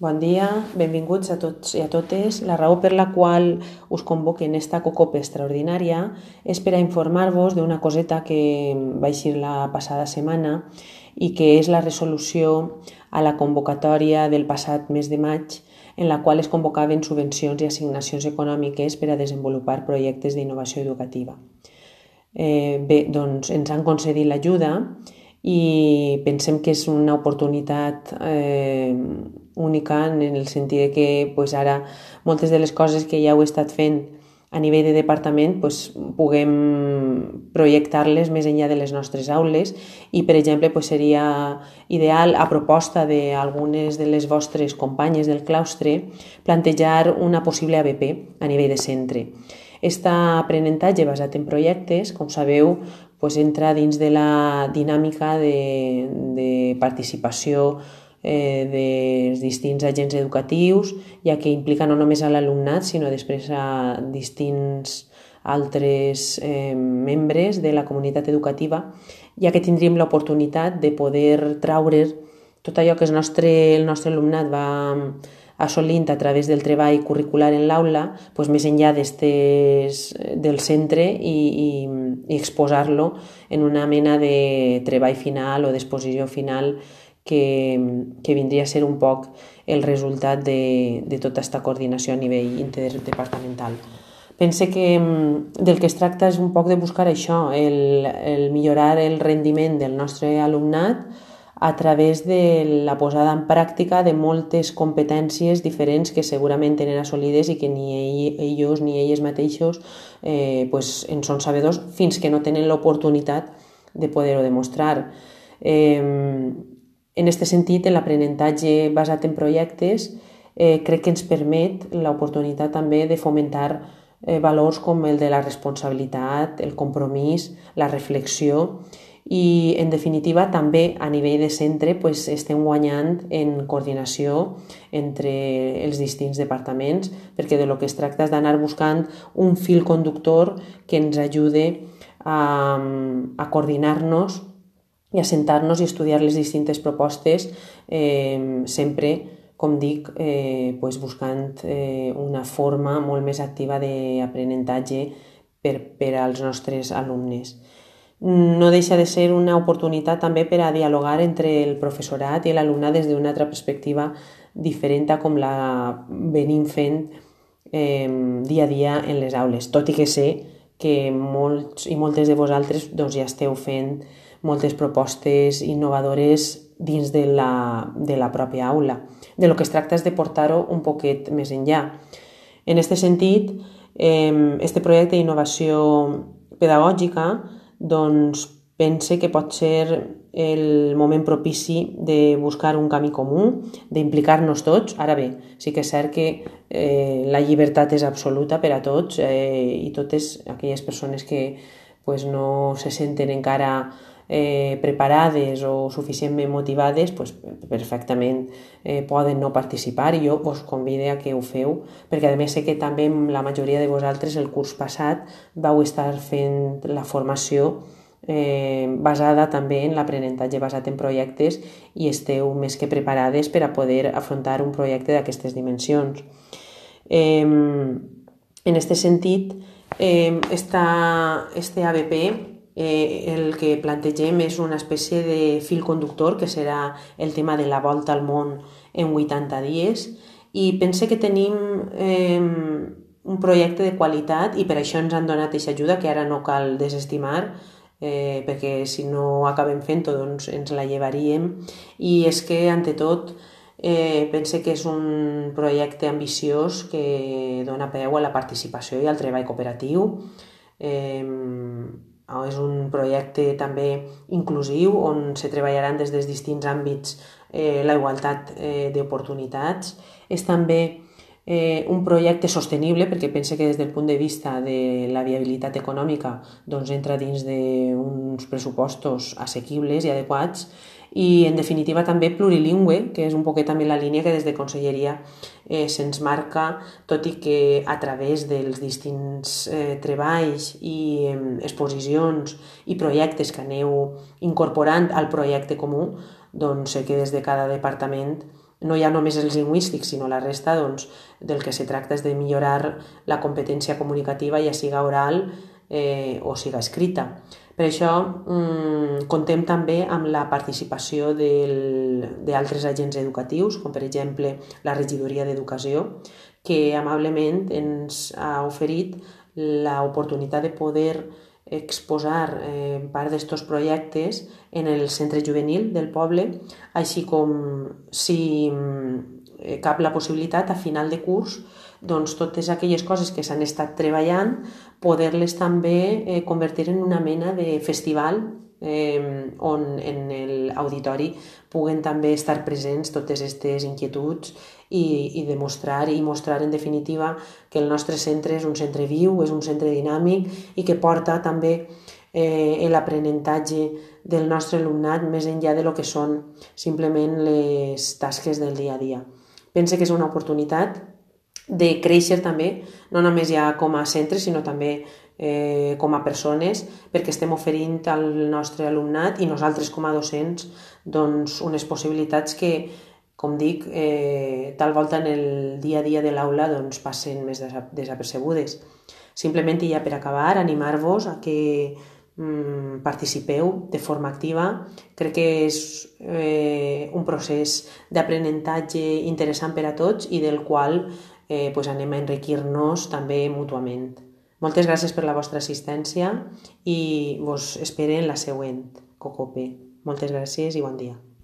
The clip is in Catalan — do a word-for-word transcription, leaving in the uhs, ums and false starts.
Bon dia, benvinguts a tots i a totes. La raó per la qual us convoque en esta COCOPE extraordinària és per a informar-vos d'una coseta que va eixir la passada setmana i que és la resolució a la convocatòria del passat mes de maig, en la qual es convocaven subvencions i assignacions econòmiques per a desenvolupar projectes d'innovació educativa. Eh, bé, doncs ens han concedit l'ajuda i pensem que és una oportunitat eh, única en el sentit que pues, ara moltes de les coses que ja heu estat fent a nivell de departament pues, puguem projectar-les més enllà de les nostres aules i, per exemple, pues, seria ideal, a proposta d'algunes de les vostres companyes del claustre, plantejar una possible A B P a nivell de centre. Aquest aprenentatge basat en projectes, com sabeu, pues, entra dins de la dinàmica de, de participació eh, dels distints agents educatius, ja que implica no només a l'alumnat, sinó després a distints altres eh, membres de la comunitat educativa, ja que tindríem l'oportunitat de poder traure tot allò que el nostre, el nostre alumnat va assolint a través del treball curricular en l'aula, pues, més enllà del centre i, i, i exposar-lo en una mena de treball final o d'exposició final que, que vindria a ser un poc el resultat de, de tota aquesta coordinació a nivell interdepartamental. Pense que del que es tracta és un poc de buscar això, el, el millorar el rendiment del nostre alumnat a través de la posada en pràctica de moltes competències diferents que segurament tenen assolides i que ni ells ni elles mateixos eh, pues, en són sabedors fins que no tenen l'oportunitat de poder-ho demostrar. Eh, en aquest sentit, l'aprenentatge basat en projectes eh, crec que ens permet l'oportunitat també de fomentar eh, valors com el de la responsabilitat, el compromís, la reflexió i, en definitiva, també a nivell de centre pues, estem guanyant en coordinació entre els distints departaments, perquè de lo que es tracta és d'anar buscant un fil conductor que ens ajude a, a coordinar-nos i a sentar-nos i estudiar les distintes propostes, eh, sempre, com dic, eh, pues, buscant eh, una forma molt més activa d'aprenentatge per, per als nostres alumnes. No deixa de ser una oportunitat també per a dialogar entre el professorat i l'alumnat des d'una altra perspectiva diferent a com la venim fent eh, dia a dia en les aules, tot i que sé que molts i moltes de vosaltres doncs, ja esteu fent moltes propostes innovadores dins de la, de la pròpia aula. De lo que es tracta és de portar-ho un poquet més enllà. En aquest sentit, eh, este projecte d'innovació pedagògica doncs pense que pot ser el moment propici de buscar un camí comú, d'implicar-nos tots. Ara bé, sí que és cert que eh, la llibertat és absoluta per a tots eh, i totes aquelles persones que pues, no se senten encara eh, preparades o suficientment motivades, pues, perfectament eh, poden no participar i jo vos convido a que ho feu, perquè a més sé que també la majoria de vosaltres el curs passat vau estar fent la formació eh, basada també en l'aprenentatge basat en projectes i esteu més que preparades per a poder afrontar un projecte d'aquestes dimensions. Eh, en aquest sentit, eh, esta, este A B P Eh, el que plantegem és una espècie de fil conductor que serà el tema de la volta al món en vuitanta dies i pense que tenim eh, un projecte de qualitat i per això ens han donat aquesta ajuda que ara no cal desestimar eh, perquè si no acabem fent-ho doncs ens la llevaríem i és que ante tot eh, pense que és un projecte ambiciós que dona peu a la participació i al treball cooperatiu. eh, És un projecte també inclusiu on se treballaran des dels distints àmbits eh, la igualtat eh, d'oportunitats. És també eh, un projecte sostenible perquè pense que des del punt de vista de la viabilitat econòmica doncs entra dins d'uns pressupostos assequibles i adequats i en definitiva també plurilingüe, que és un poquet també la línia que des de Conselleria eh, se'ns marca, tot i que a través dels distints eh, treballs i eh, exposicions i projectes que aneu incorporant al projecte comú, doncs sé que des de cada departament no hi ha només els lingüístics, sinó la resta, doncs, del que se tracta és de millorar la competència comunicativa, ja siga oral eh, o siga escrita. Per això mm, contem també amb la participació d'altres agents educatius, com per exemple la Regidoria d'Educació, que amablement ens ha oferit l'oportunitat de poder exposar eh, part d'estos projectes en el centre juvenil del poble, així com si eh, cap la possibilitat a final de curs, doncs totes aquelles coses que s'han estat treballant, poder-les també eh, convertir en una mena de festival eh, on en l'auditori puguen també estar presents totes aquestes inquietuds i, i demostrar i mostrar en definitiva que el nostre centre és un centre viu, és un centre dinàmic i que porta també eh, l'aprenentatge del nostre alumnat més enllà de lo que són simplement les tasques del dia a dia. Pense que és una oportunitat de créixer també, no només ja com a centre, sinó també eh, com a persones, perquè estem oferint al nostre alumnat i nosaltres com a docents doncs, unes possibilitats que, com dic, eh, tal volta en el dia a dia de l'aula doncs, passen més desapercebudes. Simplement, i ja per acabar, animar-vos a que mm, participeu de forma activa. Crec que és eh, un procés d'aprenentatge interessant per a tots i del qual eh, pues anem a enriquir-nos també mútuament. Moltes gràcies per la vostra assistència i vos espero en la següent Cocope. Moltes gràcies i bon dia.